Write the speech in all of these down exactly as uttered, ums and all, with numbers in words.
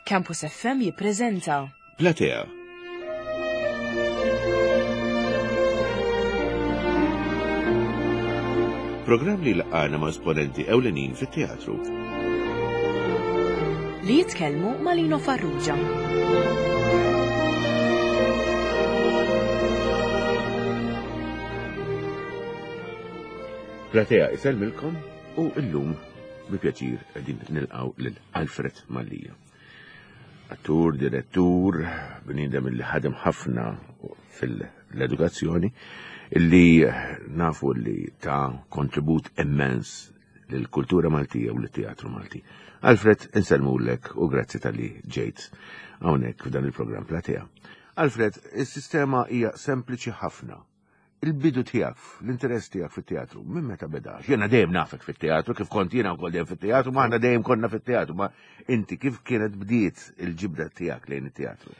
Campus F M jippreżenta Platea. Programm li laqana ma' esponenti ewlenin fit-teatru. Li jitkellmu ma' Lino Farrugia. Platea isellmilkom u illum bi pjaċir qegħdin nilqgħu lil Alfred Mallia. Attur, direttur, bniedem li ħadem ħafna fil-edukazzjoni, illi nafu li ta' kontribut immens lill-kultura Maltija u lit-teatru Malti. Alfred, insellmulek u grazzi tal-li ġejt hawnhekk f'dan il-programm Platea. Alfred, is-sistema hija sempliċi ħafna. Il-bidu tiegħek, l-interess tiegħek fit-teatru, minn meta beda? Jiena dejjem nafek fit-teatru, kif kont jiena wkoll dejjem fit-teatru, ma aħna dejjem konna fit-teatru, ma inti kif kienet bdiet il-ġibda tiegħek lejn it-teatru?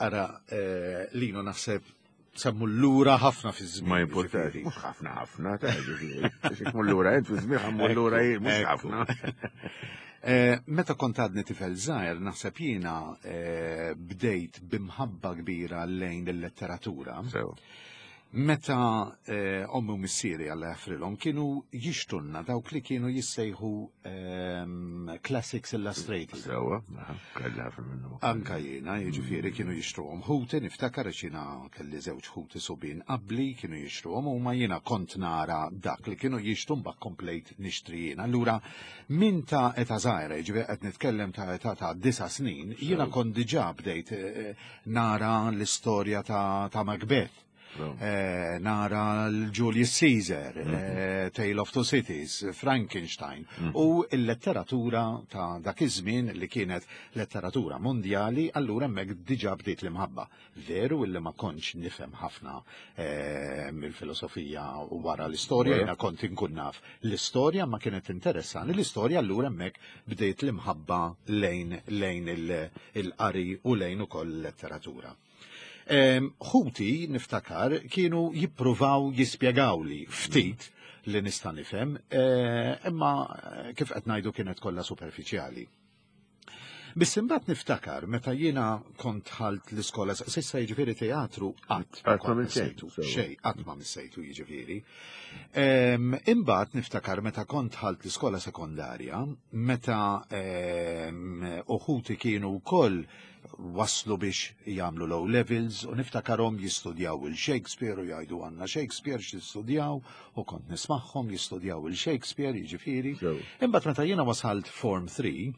Ara, eh, Lino, naħseb semmu l-lura ħafna fi żmien. Ma importax, mhux ħafna ħafna, ta' ġifieri. Xi tmur lura int fi żmien ħammur lura jien, mhux ħafna. Eh, meta kont għadni tifel żgħir, naħseb jiena eh, bdejt bimħabba kbira lejn il-letteratura. Sew. Meta eh, ommi u missieri, Alla jaħfrilhom, kienu jixtrulna dawk li kienu jissejħu ehm, Classics Illustrated. Sewa, aha, kelli ħafna minnhom. Anka jiena, jiġifieri kienu jixtruhom ħuti, niftakar għax jiena kelli żewġ ħuti subien qabli, kienu jixtruhom u ma jiena kont nara dak li kienu jixtru, mbagħad komplejt nixtri jiena. Allura min ta' età żgħira, jiġifieri qed nitkellem ta' età ta' disa' snin, jiena kont diġà bdejt eh, nara l-istorja ta', ta' Macbeth. Eh, nara l-Julius Caesar, eh, Tale of Two Cities, Frankenstein u il-letteratura ta' dak iż-żmien li kienet letteratura mondjali, allura hemmhekk diġà bdiet l-imħabba. Veru illi ma kontx nifhem ħafna eh, mill-filosofija u wara l-istorja, Vera. jiena kont inkun naf l-istorja, ma kienet interessani l-istorja, allura hemmhekk bdejt l-imħabba lejn lejn il- il-qari u lejn ukoll l-letteratura. Em, Ħuti niftakar kienu jippruvaw jispjegawli ftit li nista' nifhem, eh, imma eh, kif qed ngħidu kienet kollha superfiċjali. Biss imbagħad niftakar meta jiena kont dħalt l-iskola, s'issa jiġifieri teatru qatt ma Qatt ma kont missejtu, missejtu, sewa. xejn, qatt ma missejtu jiġifieri. Em, Imbagħad niftakar meta kont dħalt l-iskola sekondarja, meta em, uħuti kienu wkoll waslu biex jagħmlu l-O levels u niftakarhom jistudjaw il-Shakespeare u jgħidu għandna Shakespeare x'jistudjaw u kont nismagħhom jistudjaw il-Shakespeare jiġifieri. Sew. Imbagħad meta jiena wasalt Form three,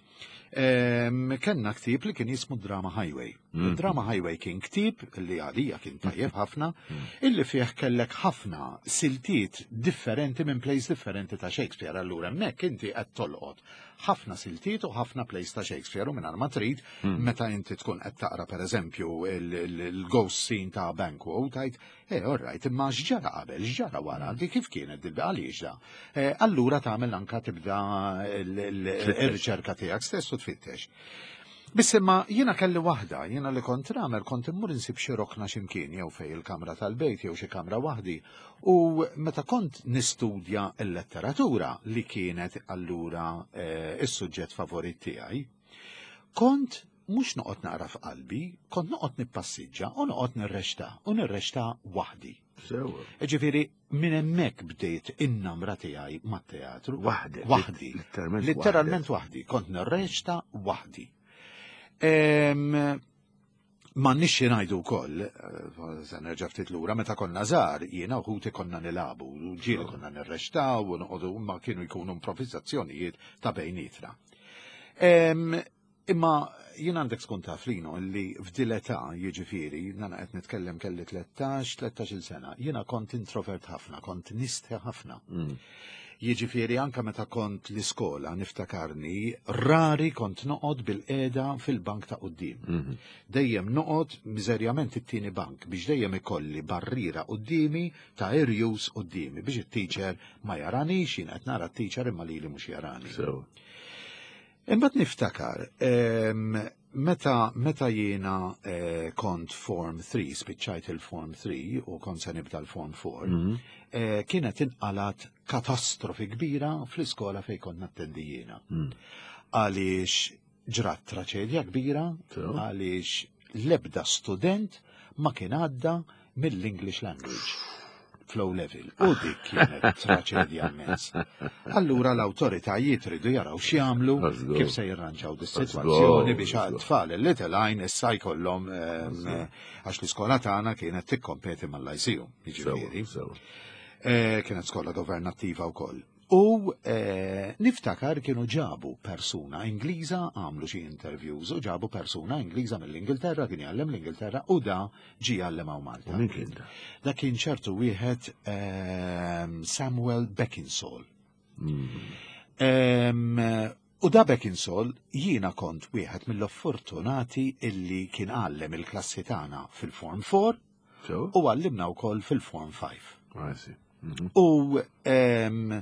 em, kellna ktieb li kien jismu Drama Highway. Mhm. Drama Highway kien ktieb li għalija kien tajjeb ħafna, illi fih kellek ħafna siltiet differenti minn plays differenti ta' Shakespeare. Allura hemmhekk inti qed tolqot ħafna siltiet u ħafna plays ta' Shakespeare u mingħajr ma trid, meta inti tkun qed taqra pereżempju il-ghost scene ta' Banquo, tgħid, "Eh, all right, imma x'ġara qabel, x'ġara wara, di kif kienet dil għaliex da?" Eh, Allura tagħmel anka tibda il-riċerka tiegħek stess u tfittex. Biss imma jiena kelli waħda, jiena li kont nagħmel kont immur insib xi rokna x'imkien jew fej il-kamra tal-bejt jew xi kamra waħdi u meta kont nistudja l-letteratura li kienet allura eh, is-suġġett favorit tiegħi, kont mhux noqgħod naqra f'qalbi, kont noqgħod nippassiġġa u noqgħod nirreċta u nirreċta waħdi. Sewa. Ġifieri minn hemmhekk bdejt in-namra tiegħi mat-teatru. Waħdek. Waħdi. Literalment. Literalment waħdi. Kont nirreċta waħdi. Em, Ma nixxi ngħidu wkoll, eh, se nerġa' ftit lura, meta konna żgħar, jiena u ħuti konna nilagħbu, u ġieli konna nirreċtaw u noqogħdu, ma kienu jkunu improvvizzazzjonijiet ta' bejnietna. Em, Imma jien għandek tkun taf, Lino, li f'dil-età, jiġifieri, nana qed nitkellem kelli tlettax, tlettax-il sena, jiena kont introvert ħafna, kont nistħi ħafna. Mm. Jiġifieri anka meta kont l-iskola niftakarni, rari kont noqgħod bil-qiegħda fil-bank ta' quddiem. Mhm. Dejjem noqgħod miżerjament it-tieni bank biex dejjem ikolli barriera quddiemi ta' irjus quddiemi biex it-teacher ma jaranix, jien qed nara t-teacher imma lili mhux jarani. Sewa. Imbagħad niftakar, em, meta meta jiena eh, kont Form three, spiċċajt il-Form three u kont se nibda l-Form four, Mhm. eh, kienet inqalat katastrofi kbira fl-iskola fejn kont nattendi jiena. Mm. Għaliex Ġrat traċedja kbira Sew. għaliex l-ebda student ma kien għadda mill-English language fl-O level. U dik kienet traċedja immens. Allura l-awtoritajiet ridu jaraw x'jagħmlu Żgur. kif se jirranġaw dis-sitwazzjoni biex Żgur. għat-tfal li telgħin issa jkollhom ehm, għax l-iskola tagħna kienet tikkompeti mal-Lyceum, jiġifieri. Sew, sew. Eh, kienet skola governattiva wkoll. U eh, niftakar kienu ġabu persuna Ingliża, għamlu xi interviews u ġabu persuna Ingliża mill-Ingilterra, kien jgħallem l-Ingilterra u da ġi jgħallem hawn Malta. U min kien da? Da kien ċertu wieħed ehm, Samuel Beckinsall. Mm. Ehm, U da Beckinsall jiena kont wieħed mill-fortunati illi kien għallem il-klassi tagħna fil-Form four Sew? u għallimna wkoll fil-Form five. I see. Mhm. U em,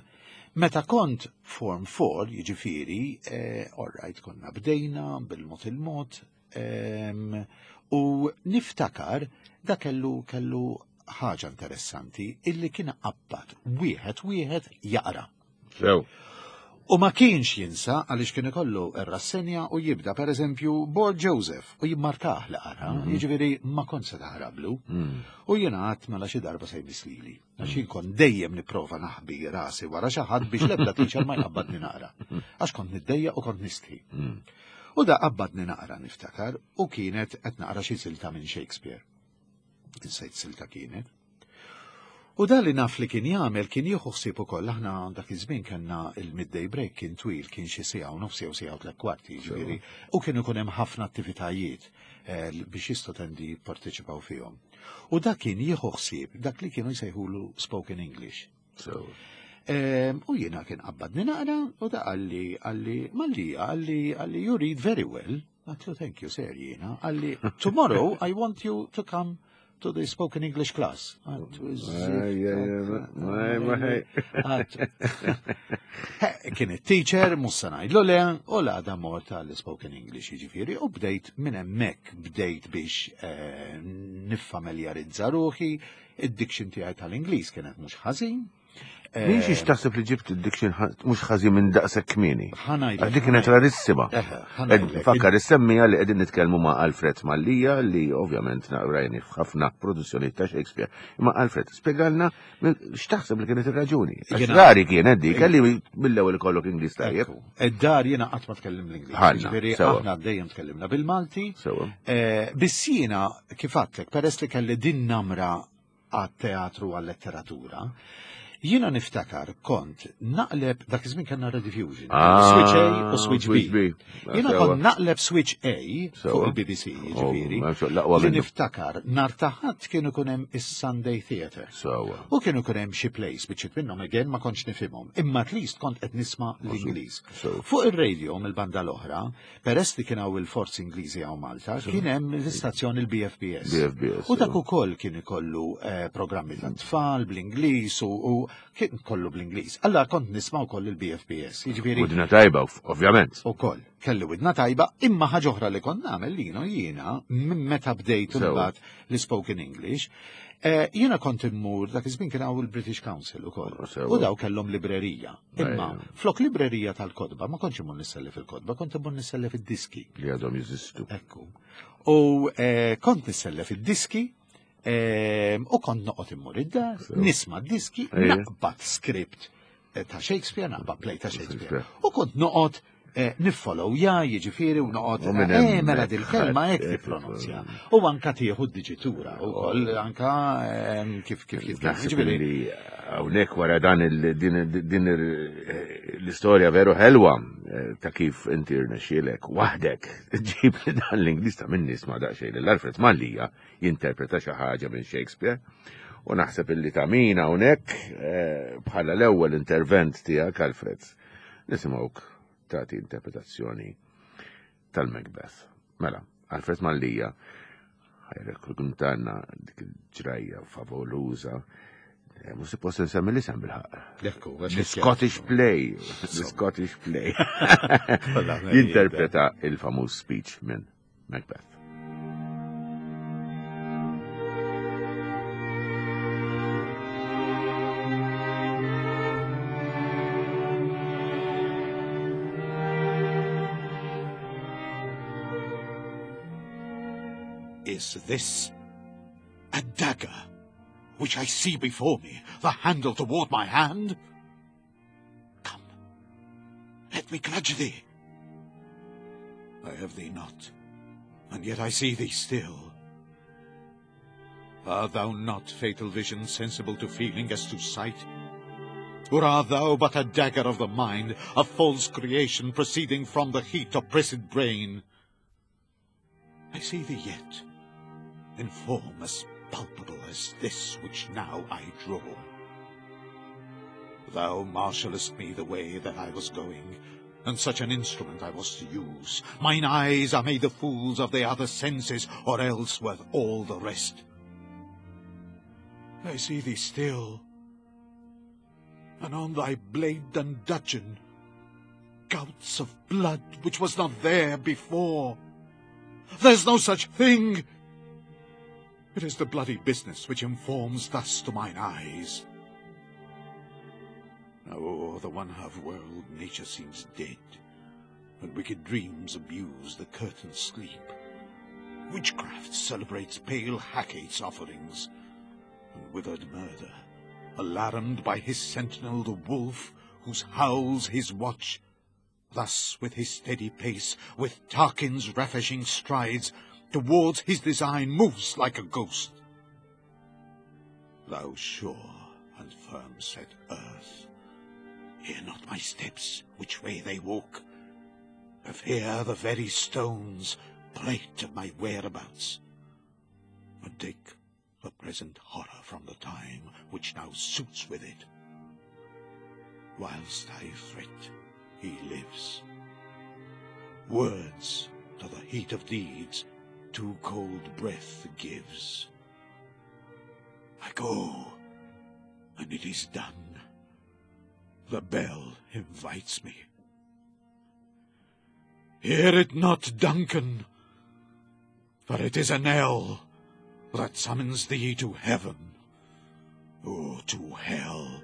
meta kont Form four, jiġifieri, eh, all right, konna bdejna bil-mod il-mod, em, u niftakar da kellu kellu ħaġa interessanti illi kien qabbad wieħed wieħed jaqra. Sew. U ma kienx jinsa għaliex kien ikollu ir-rassenja u jibda per eżempju Borg Joseph u jimmarkah li qara, jiġifieri ma kont se taħrablu. Mm. U jiena għedt mela xi darba se jmiss lili. Għax jien kont dejjem nipprova naħbi rasi wara xi ħadd biex l-ebda teacher ma jqabbadni naqra. Għax kont niddejja u kont nistħi. Mm. U da qabbadni naqra niftakar u kienet qed naqra xi silta minn Shakespeare. Insejt silta kienet. U da li naf li kien jagħmel kien jieħu ħsieb ukoll aħna dak iż-żmien kellna il-midday break kien twil, kien xi siegħa u nofs jew siegħa u tliet kwarti, jiġifieri, u kien ikun hemm ħafna attivitajiet eh, biex l-istudenti jipparteċipaw fihom. U da kien jieħu ħsieb dak li kienu jsejħulu spoken English. Sew. Em, U jiena kien qabbadni naqra u da qalli qalli Mallia, qalli qalli "You read very well." Għedtlu, "Thank you, sir," jiena. Qalli, "Tomorrow I want you to come to the spoken English class." Għedtlu, Aj, aj, aj, aj, Għedtlu. Kien it-teacher, mhux se ngħidlu le, u l-għada mort għall-spoken English, jiġifieri, u bdejt minn hemmhekk bdejt biex eh, niffamiljarizza ruħi, id-diction tiegħi tal-Ingliż kienet mhux ħażin. Min xiex taħseb li ġibt id-diction mhux ħażin minn daqshekk kmieni? Ħa ngħidlek. Għax dik kienet rarissima. Eħe, ħa ngħidlek. Fakkar issemmija li qegħdin nitkellmu ma' Alfred Mallia li ovvjament rajni f'ħafna produzzjoni ta' Shakespeare. Imma Alfred, spjegalna x'taħseb li kienet ir-raġuni. Għax Jiena- rari kienet dik, kelli mill-ewwel ikollok Ingliż tajjeb. Ekku. Id-dar jiena qatt ma tkellim l-Ingliż. Ħanna, Jiġifieri sewa. aħna dejjem tkellimna bil-Malti. Sewa. Eh, Biss jiena kif għedtlek, peress li kelli din namra għat-teatru għal-letteratura, jiena niftakar kont naqleb dak iż-żmien kellna Rediffusion. Ah, Switch A u Switch B. Switch B. Jiena Sewa. kont naqleb Switch A fuq Sewa. il-B B C, jiġifieri. Oh, ma nafx, l-aqwa Li minnu. niftakar nhar ta' Ħadd kienu ikun hemm is-Sunday Theatre. Sewa. U kienu ikun hemm xi plays biċċiet minnhom again ma kontx nifhimhom, imma at least kont qed nisma' l-Ingliż. Sewa. Fuq ir-radio mill-banda l-oħra, peress li kien hawn il-forzi Ingliżi hawn Malta, kien hemm l-istazzjon il-B F B S. B F B S, U dak sewa. ukoll kien ikollu eh, programmi ta' tfal bl-Ingliż u, u kien kollu bl-Ingliż. Allora kont nisma' wkoll il-B F B S. Jiġifieri Widna tajba, ovvjament. ukoll kelli widna tajba, imma ħaġa oħra li kont nagħmel lino jiena minn meta bdejt Sewa. imbagħad l-spoken English, eh, jiena kont immur dak iż-żmien kien hawn il-British Council ukoll. Sewa. U daw kellhom librerija. Imma Ejja. flok librerija tal-kotba, ma kontx immur nissellef il-kotba, kont immur nissellef id-diski. Li għadhom jeżistu. Ekku. U eh, kont nissellef id-diski eh, u kont noqgħod immur id-dar, Sewa. nisma' d-diski, Ejja. naqbad script eh, ta' Shakespeare, naqbad play ta' Shakespeare. Shakespeare. U kont noqgħod eh, niffollow ja, jiġifieri u noqgħod U minn eh, hemmhekk mela dil-kelma hekk ħadd- tippronunzja. U anka tieħu d-diċitura ukoll anka eh, kif kif jitkellem. Naħseb Jiġifieri, li hawnhekk wara dan il- din din il- l-istorja veru ħelwa eh, ta' kif inti rnexxielek waħdek ġib dan l-Ingliż ta' min nisma' daqsxejn lil Alfred Mallia jinterpreta xi ħaġa minn Shakespeare. U naħseb illi ta' min hawnhekk eh, bħala l-ewwel intervent tiegħek, Alfred, nisimgħuk tagħti interpretazzjoni tal-Macbeth. Mela, Alfred Mallia ħa jirrakkontalna dik il-ġrajja favoluża. Eh, Mhux suppost nsemmi l-isem bil-ħaqq. Ekku, għax The Scottish Play. The Scottish Play. Kollha Jinterpreta il-famuż speech minn Macbeth. Is this a dagger which I see before me, the handle toward my hand? Come, let me grudge thee. I have thee not, and yet I see thee still. Art thou not, fatal vision, sensible to feeling as to sight? Or art thou but a dagger of the mind, a false creation proceeding from the heat oppressed brain? I see thee yet, in form as palpable as this which now I draw. Thou marshallest me the way that I was going, and such an instrument I was to use. Mine eyes are made the fools of the other senses, or else worth all the rest. I see thee still, and on thy blade and dudgeon, gouts of blood which was not there before. There's no such thing! It is the bloody business which informs thus to mine eyes. Now o'er the one half world nature seems dead, and wicked dreams abuse the curtained sleep. Witchcraft celebrates pale Hecate's offerings, and withered murder, alarmed by his sentinel the wolf, whose howls his watch, thus with his steady pace, with Tarquin's ravishing strides, towards his design moves like a ghost. Thou sure and firm-set earth, hear not my steps, which way they walk. If here the very stones prate of my whereabouts, and take the present horror from the time which now suits with it. Whilst I fret, he lives. Words to the heat of deeds too cold breath gives. I go, and it is done. The bell invites me. Hear it not, Duncan, for it is a knell that summons thee to heaven or to hell.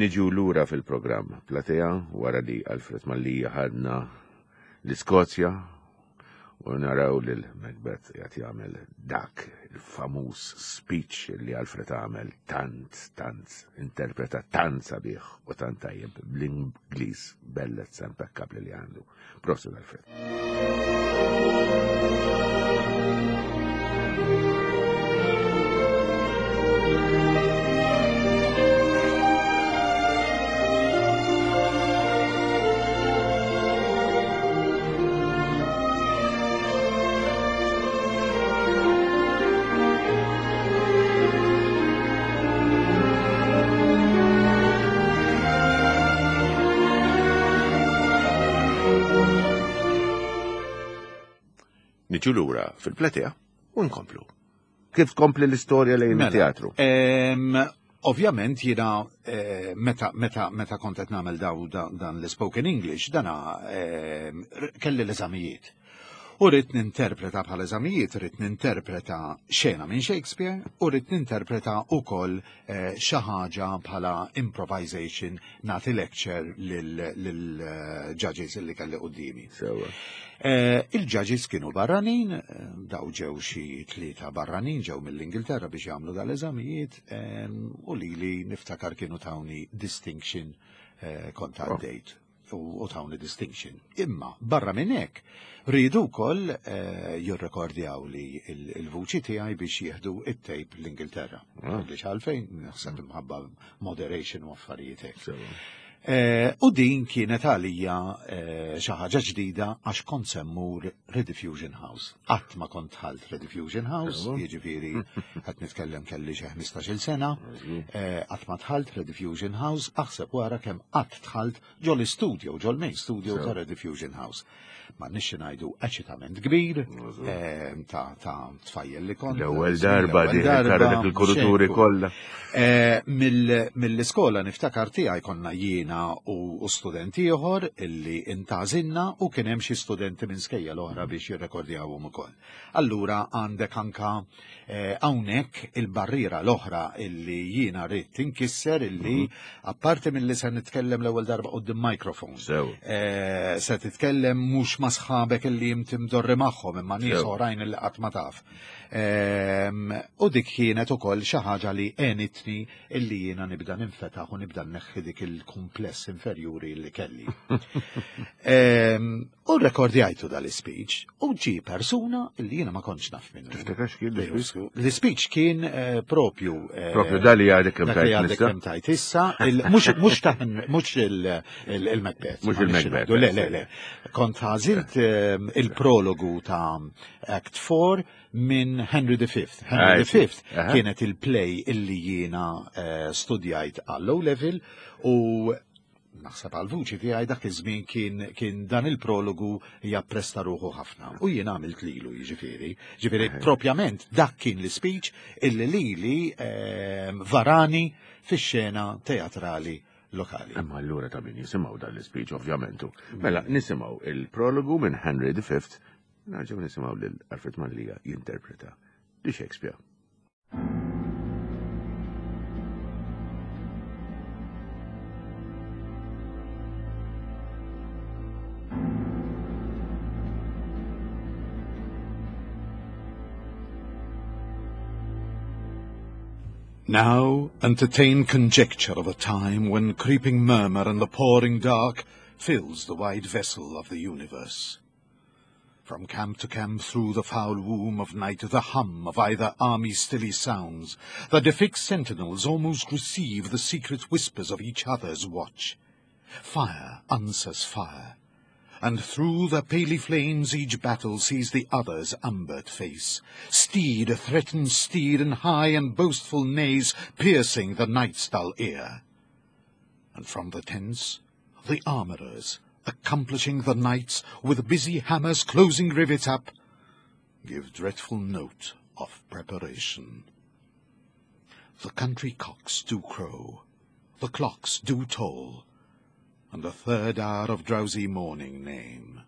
Niġu lura fil-programm Platea wara li Alfred Mallia ħadna l-Iskozja u naraw lil Macbeth qed jagħmel dak il-famuż speech li Alfred għamel tant, tant, interpreta tant sabiħ u tant tajjeb bl-Ingliż bellezza impeccabli li għandu. Prosit Alfred. Niġu lura fil-platea u nkomplu. Kif tkompli l-istorja lejn il-teatru? Ovvjament jiena meta meta meta kont qed nagħmel daw dan l-spoken English, dana kelli l-eżamijiet. U rrid ninterpreta bħal eżamijiet, rrid ninterpreta xena minn Shakespeare u rrid ninterpreta wkoll xi ħaġa bħala improvisation, nagħti lecture lil-judges li kelli quddiemi. Il-judges kienu barranin, daw ġew xi tlieta barranin ġew mill-Ingilterra biex jagħmlu dal-eżamijiet, u lili niftakar kienu tawni distinction kont għaddejt u tawni distinction. Imma barra minn hekk rridu wkoll jirrekordjaw li il-vuċi tiegħi biex jieħdu it-tape l-Ingilterra. Għaliex għalfejn naħseb imħabba moderation u affarijiet hekk. U din kienet għalija xi ħaġa ġdida għax kont semmur Rediffusion House. Qatt ma kont dħalt Rediffusion House, jiġifieri qed nitkellem kelli xi ħmistax-il sena, qatt ma dħalt Rediffusion House, aħseb wara kemm qatt dħalt ġol-istudio, ġol-main studio ta' Rediffusion House. Ma nixxi ngħidu eċitament kbir ta' tfajjel li kont. L-ewwel darba din dik il-kuruturi kollha. Mill-iskola niftakar tiegħi konna jiena Jiena u studenti ieħor illi intgħażilna u kien hemm xi studenti minn skejjel oħra biex jirrekordjawhom ukoll. Allura għandek anka eh, hawnhekk il-barriera l-oħra illi jiena rrid tinkisser illi apparti milli se nitkellem l-ewwel darba quddiem microphone. Sew. Eh, se titkellem mhux ma' sħabek illi inti mdorri magħhom imma nies Sew. oħrajn illi qatt ma taf. Ehm, U dik kienet ukoll xi ħaġa li għenitni illi jiena nibda ninfetaħ u nibda nneħħi dik il-kumpless inferjuri li kelli. Ehm, U rekordjajtu dal-speech u ġi persuna illi jiena ma kontx naf minnu. Tiftakar x'kien l-speech? L-speech kien eh, propju eh, Propju dali għadek kemm dak li tajt għadek nista. kemm tajt issa, il- mhux mhux ta' mhux il- il- il-Macbeth. Mhux ma nix il-Macbeth, ngħidu, Le, le, le. Kont għażilt ehm, il-prologu ta' Act four minn Henry the Fifth. Henry Ah, the Fifth aha. kienet il-play illi jiena eh, studjajt għall-O level u naħseb għal-vuċi tiegħi dak iż-żmien kien kien dan il-prologu jappresta ruħu ħafna. U jiena għamilt lilu jiġifieri. Ġifieri propjament dak kien l-speech illi lili ehm, varani fix-xena teatrali lokali. Imma allura ta' min jisimgħu dan l-speech, ovvjament. Mela, nisimgħu il-prologu minn Henry the Fifth, nerġgħu nisimgħu lil Alfred Mallia jinterpreta di Shakespeare. Now entertain conjecture of a time when creeping murmur and the pouring dark fills the wide vessel of the universe. From camp to camp through the foul womb of night the hum of either army stilly sounds, that the fixed sentinels almost receive the secret whispers of each other's watch. Fire answers fire, and through the paly flames each battle sees the other's umbered face. Steed threatens steed in high and boastful neighs, piercing the night's dull ear. And from the tents, the armourers, accomplishing the knights with busy hammers closing rivets up, give dreadful note of preparation. The country cocks do crow, the clocks do toll, and the third hour of drowsy morning name.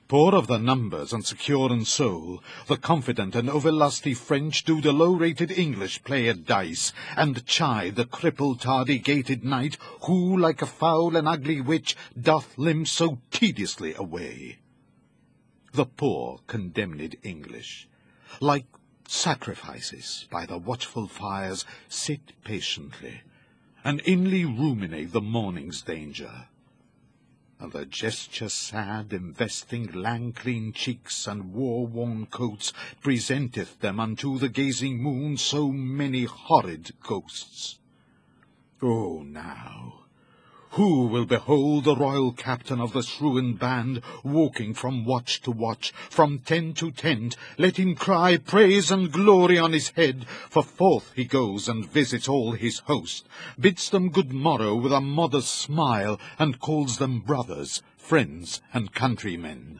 Poor of the numbers and secure in soul, the confident and overlusty French do the low-rated English play at dice, and chide the crippled tardy-gaited knight, who, like a foul and ugly witch, doth limp so tediously away. The poor condemned English, like sacrifices by the watchful fires, sit patiently, and inly ruminate the morning's danger. And the gesture sad, investing lank-lean cheeks and war-worn coats, presenteth them unto the gazing moon so many horrid ghosts. Oh, now, who will behold the royal captain of this ruined band, walking from watch to watch, from tent to tent? Let him cry praise and glory on his head, for forth he goes and visits all his host, bids them good morrow with a modest smile, and calls them brothers, friends, and countrymen.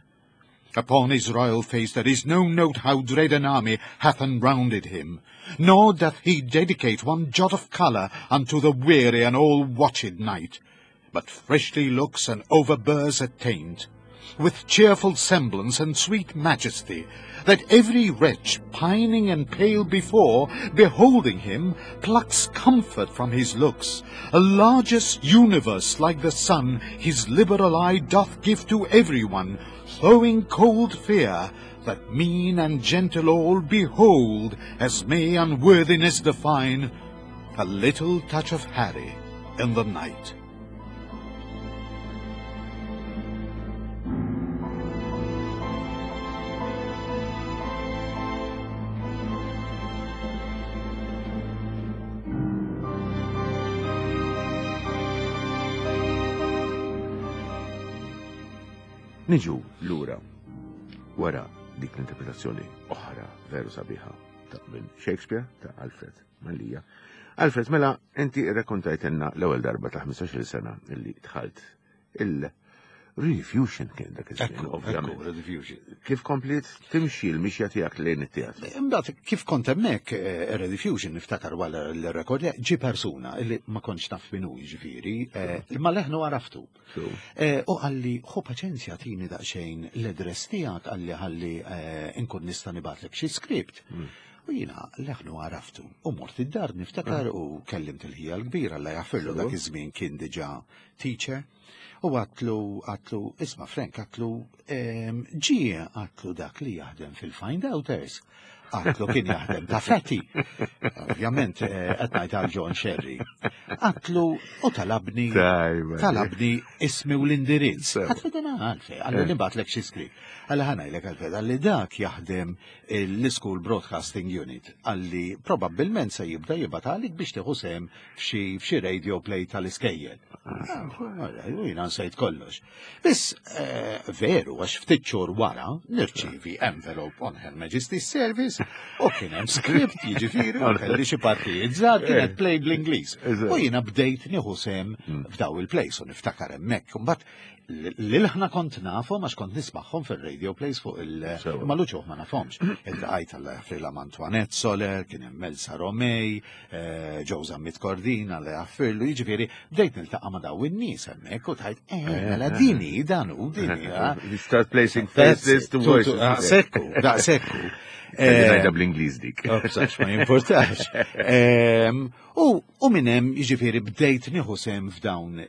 Upon his royal face there is no note how dread an army hath enrounded him, nor doth he dedicate one jot of colour unto the weary and all-watched night, but freshly looks and overbears a taint, with cheerful semblance and sweet majesty, that every wretch, pining and pale before, beholding him, plucks comfort from his looks. A largest universe like the sun, his liberal eye doth give to every one, throwing cold fear, that mean and gentle all behold, as may unworthiness define, a little touch of Harry in the night. Niġu lura wara dik l-interpretazzjoni oħra veru sabiħa ta' minn Shakespeare ta' Alfred Mallia. Alfred, mela, inti rrakkontajtilna l-ewwel darba ta' ħmistax-il sena illi dħalt Rediffusion kien dak iż-żmien, Ekku, ovvjament. ekku, Rediffusion. Kif kompliet timxi l-mixja tiegħek lejn it-teatru? Imbagħad kif kont hemmhekk eh, Rediffusion niftakar wara l-rekord ġi persuna illi ma kontx naf min hu jiġifieri, eh, imma leħnu għaraftu. So, Eh, U qalli, ħu paċenzja tini daqsxejn l-address tiegħek qalli ħalli eh, inkun nista' nibgħatlek xi script. U jiena leħnu għaraftu. U mort id-dar niftakar u kellimt il-ħija l-kbira la jaffirlu dak iż-żmien kien diġà teacher. U għedtlu, għedtlu, isma' Frank, għedtlu, ehm, ġie għedtlu dak li jaħdem fil-Find Outers. Għedtlu kien jaħdem ta' Fatty. Ovvjament, eh, qed ngħid għal John Sherry. Għedtlu u talabni Tajba. talabni ismi u l-indirizz. Sewa. Għedtlu dan għalfejn, qalli nibgħatlek xi script. Qalli ħa ngħidlek għalfejn, qalli dak jaħdem l-School Broadcasting Unit. Qalli probabbilment se jibda jibgħathielek biex tieħu sehem f'xi f'xi radio play tal-iskejjel. Ah, U jiena nsejt kollox. Biss eh, veru, għax ftit xhur wara nirċivi envelope on Her Majesty's Service u kien hemm script jiġifieri u kelli xi partijiet żgħar kienet play bl-Ingliż. U jiena bdejt nieħu sehem f'daw il-plays u niftakar hemmhekk. Mbagħad lil-ħna kont nafhom għax kont nismagħhom fir-radio plays fuq il- Sewa. ma l-uċuħ ma nafhomx. Iltqajt Alla jaħfrilha ma' Antoinette Soler, kien hemm Elsa Romej, eh, Joe Zammit Cordina, Alla jaħfirlu, jiġifieri bdejt niltaqa' ma' daw in-nies hemmhekk u tgħid, eh, mela dini, dan hu dini. ah. You start placing That's faces it. to Tu- tu- voices. ah, Sekku, da sekku. Kelli Eh, ngħidha bl-Ingliż dik. Oh, bsax, ma jimportax. Em, U u minn hemm jiġifieri bdejt nieħu sehem f'dawn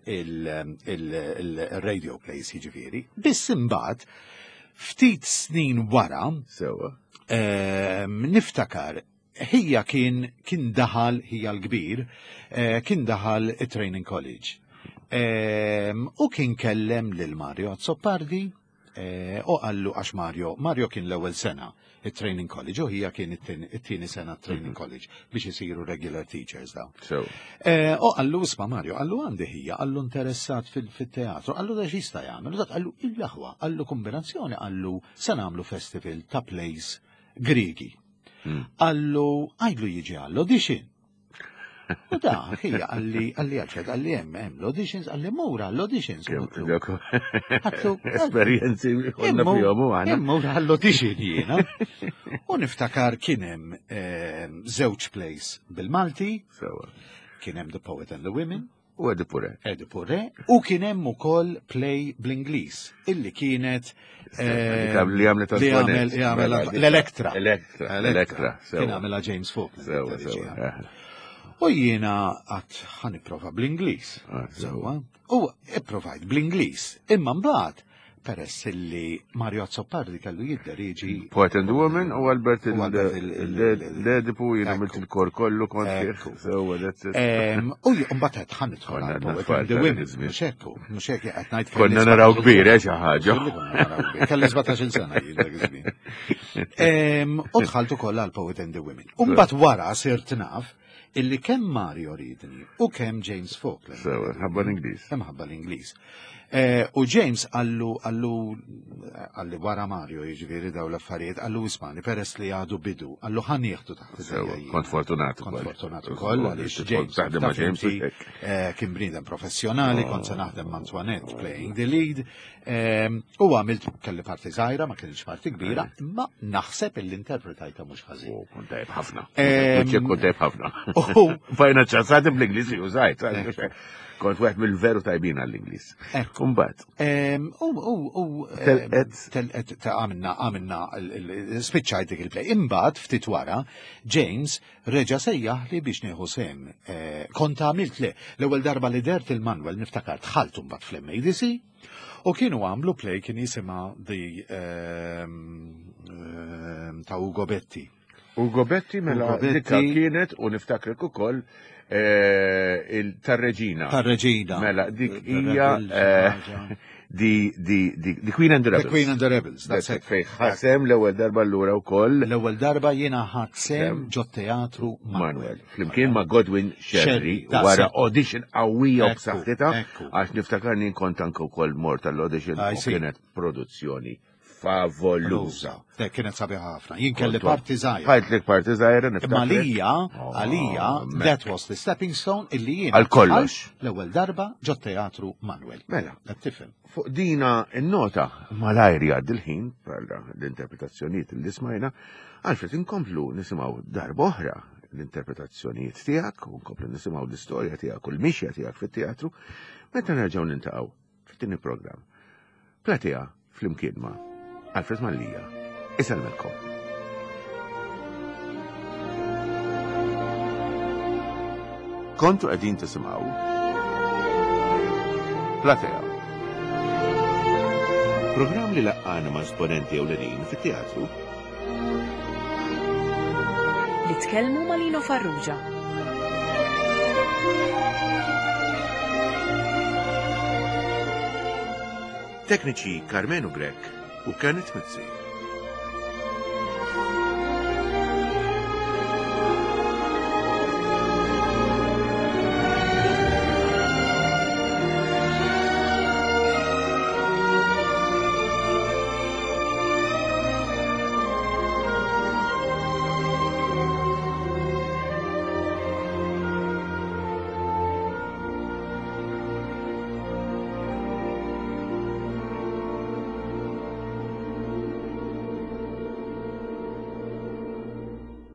il-radio plays jiġifieri. Biss imbagħad ftit snin wara Sewa. em, niftakar ħija kien kien daħal ħija l-kbir eh, kien daħal it-training college. Em, U kien kellem lil Mario Azzopardi eh, u qallu għax Mario, Mario kien l-ewwel sena it-training college u ħija kien it-tieni it-tieni sena training college biex isiru regular teachers daw. Sewa. Eh, U qallu isma' Mario, qallu għandi ħija, qallu interessat fil- fil-teatru, qallu da x'jista' jagħmel, u dak qallu il-aħwa, qallu kombinazzjoni, qallu se nagħmlu festival ta' plays Grigi. Qallu għidlu jiġi għall-audition. U da, ħija qalli, qalli Alfred, qalli hemm hemm l-auditions, qalli mura l-auditions. U għedtlu, Għedtlu, Esperjenzi konna fihom u għana. Immur għall-audition jiena. U niftakar kien hemm eh, żewġ plays bil-Malti, Sewa. kien hemm The Poet and the Women, U Oedipu Re. Oedipu Re, u kien hemm ukoll play bl-Ingliż, illi kienet eh, Li għamlet li għamel Antoinette. li għamel Mela, dik- l-Elektra. Elektra, Elektra, sewa. Kien għamela James Faulkner. Sewa, id-reġija. sewa. eh. U jiena għedt ħa nipprova bl-Ingliż. Ah, Sewa. U ipprovajt bl-Ingliż. Imma mbagħad peress illi Mario Azzopardi kellu jidderieġi Poet and the Woman u Albert U Albert il- il- l-Edipu jien għamilt Ekku. il-kor kollu kont fih. Ekku. Sewa, that's it. Em, U mbagħad qed ħa nidħol Konna għal għadna Poet tfal and the ta' Women. iż-żmien. Mhux hekk, mhux hekk qed ngħid kelli Konna naraw sbatax-il kbir, sena. eh, xi ħaġa. Xilli konna naraw kbir. Kelli sbatax-il sena jien dak iż-żmien. Em, U dħalt ukoll għal Poet and the Women. U mbagħad wara sirt naf illi kemm Mario ridni u kemm James Faulkner. Sewa, ħabba l-Ingliż. Imħabba l-Ingliż. Eh, U James qallu qallu qalli wara Mario jiġifieri daw l-affarijiet qallu ismani peress li għadu bidu qallu ħa nieħdu taħt Sewa, idejja jiena. kont fortunat Kont ukoll. fortunat ukoll għaliex Tidħol James taħdem ma' taf James inti, u hekk. eh, kien bniedem professjonali, kont se naħdem ma' Antoinette playing the lead. Em, U għamilt kelli parti żgħira, ma kienx parti kbira, imma naħseb illi interpretajta mhux ħażin. U kont tajb ħafna. Em, Kont kont tajb ħafna. U Fajna ċassati bl-Ingliż li użajt. Kont wieħed mill-veru tajbin għall-Ingliż. Ekku. Kumbat. Em, U u u em, Telqet. telqet ta' għamilna għamilna il- il- spiċċajt dik il-play. Imbagħad ftit wara James reġa' sejjaħ li biex nieħu sehem. Eh, Kont għamilt le l-ewwel darba li dert il-Manuel niftakar dħalt mbagħad fl-MADC u kienu għamlu play kien jisimha the ehm, ehm, ta' Ugo Betti. Ugo Betti mela Ugo Betti. dikka kienet u niftakrek ukoll eh, il- tar-reġina. Tar-reġina. Mela dik The hija Rebels, eh, ħaġa. di di di the Queen and the The Rebels. Queen and the Rebels, that's it. Fej ħasem l-ewwel darba allura wkoll L-ewwel darba jiena ħadt sehem Sem. ġo teatru Manuel. Manuel. Flimkien ma' Godwin Sherry Sherry, wara daqshekk. audition qawwija u Ekku, b'saħħitha ekku. għax niftakarni kont anke wkoll mort tal-audition I u see. kienet produzzjoni Favoluża. Dek kienet sabiħa ħafna. Jien kelli parti żgħira. Ħajtlek parti żgħira Imma niftakar. għalija, Oh, għalija, mek. that was the stepping stone illi jien Għal kollox. L-ewwel darba ġo teatru Manuel. Mela. Qed tifhem. Fuq dina n-nota malajr jgħaddi l-ħin bħala l-interpretazzjonijiet li smajna, Alfred inkomplu nisimgħu darba oħra l-interpretazzjonijiet tiegħek u nkomplu nisimgħu l-istorja tiegħek u l-mixja tiegħek fit-teatru meta nerġgħu niltaqgħu fit-tieni programm. Platea flimkien ma' Alfred Mallia. Isellmilkom. Kontu qegħdin tisimgħu Platea. Programm li laqqana ma' esponenti ewlenin fit-teatru Li tkellmu ma' Lino Farrugia. Tekniċi Carmenu Grek u Kenneth Mizzi.